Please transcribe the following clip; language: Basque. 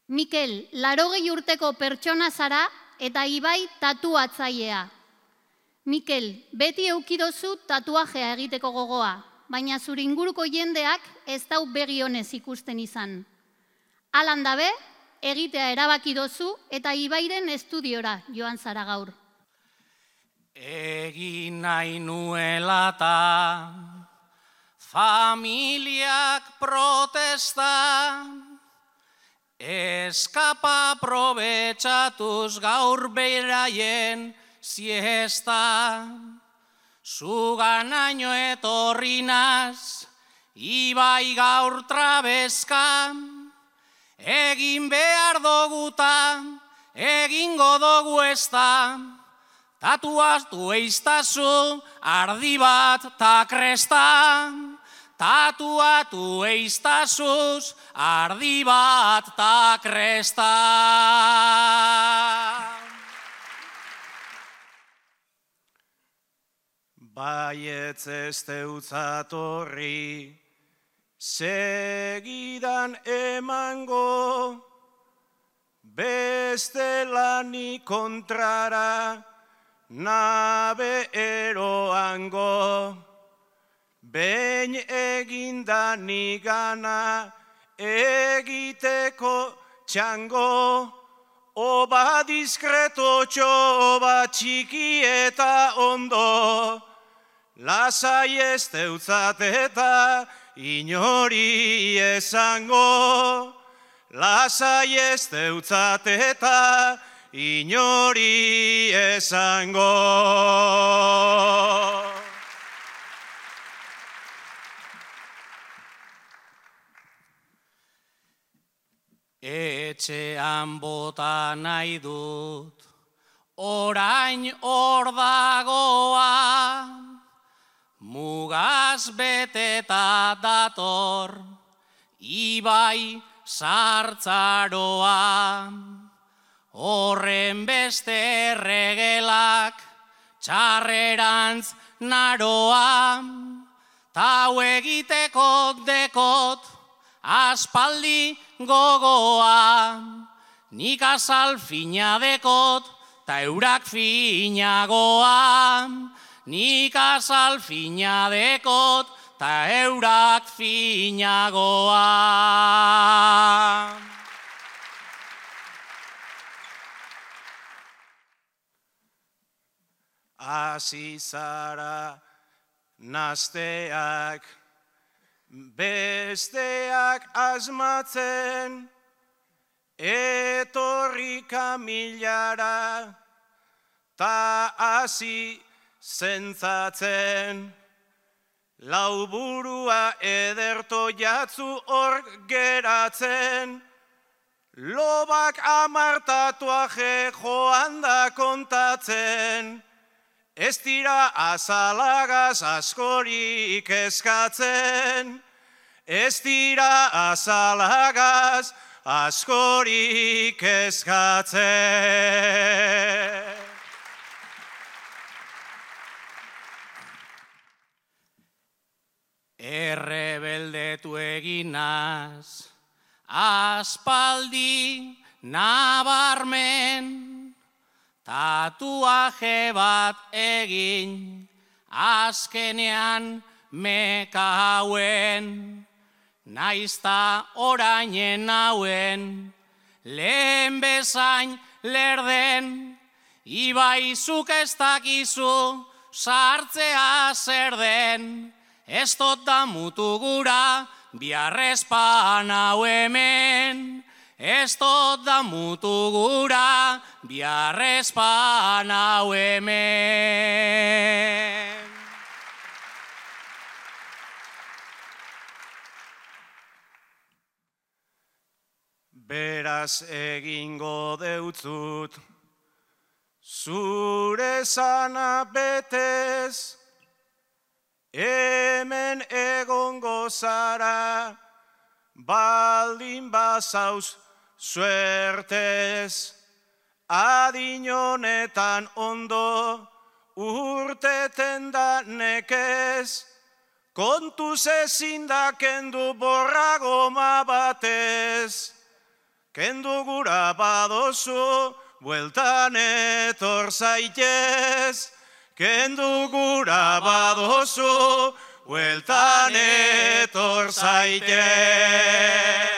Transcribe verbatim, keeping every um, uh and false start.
Mikel, larogei urteko pertsona zara eta Ibai tatuatzailea. Mikel, beti eukidozu tatuajea egiteko gogoa, baina zure inguruko jendeak ez dau begi honez ikusten izan. Alan dabe, egitea erabaki dozu eta Ibairen estudiora joan zara gaur. Egin nahi nuelata, familiak protesta, eskapa aprobetxatuz gaur beraien siesta. Zuganaino etorri naz, Ibai gaur trabeska, egin behar doguta, egingo dogu ezta, tatuatu eiztazu ardi bat ta kresta. Tatuatu eiztazuz ardi bat ta kresta. Baietz ez deutzatorri, segidan emango, beste lani kontrara, nabe eroango. Behin eginda nigana, egiteko txango, oba diskretotxo, oba txiki eta ondo. Lasai ez deutzat eta inori esango. Lasai ez deutzat eta inori esango. Etxean bota nahi dut, orain hor dagoa, mugaz beteta dator, Ibai sartzaroa. Horren beste erregelak, txarrerantz naroa, tau egitekok dekot, aspaldi gogoa, nik azal fina dekot, ta eurak finagoa. Nik azal fina dekot, ta eurak finagoa. Hasi zara nazteak, besteak asmatzen, etorri kamilara, ta hasi zentzatzen. Lauburua ederto jatzu hor geratzen, lobak amartatuaje joan da kontatzen, ez dira azalagaz askorik eskatzen, ez dira azalagaz askorik eskatzen. Errebeldetu eginaz, aspaldi nabarmen, tatuaje bat egin, azkenean meka hauen, naizta orainen hauen, lehen bezain lerden, Ibai zuk ez dakizu, sartzea zer den, ez dut damutu gura, biarrezpan hau hemen, ez dut damutu gura, biarrezpan hau hemen. Beraz egingo deutzut, zure zana betez, hemen egongo zara, baldin bazauz suertez. Adin honetan ondo, urteten da nekez, kontuz ezin da kendu borragoma batez. kendu gura badozu, bueltan etor zaitez. Kendu gura badozu, bueltan etor zaitez.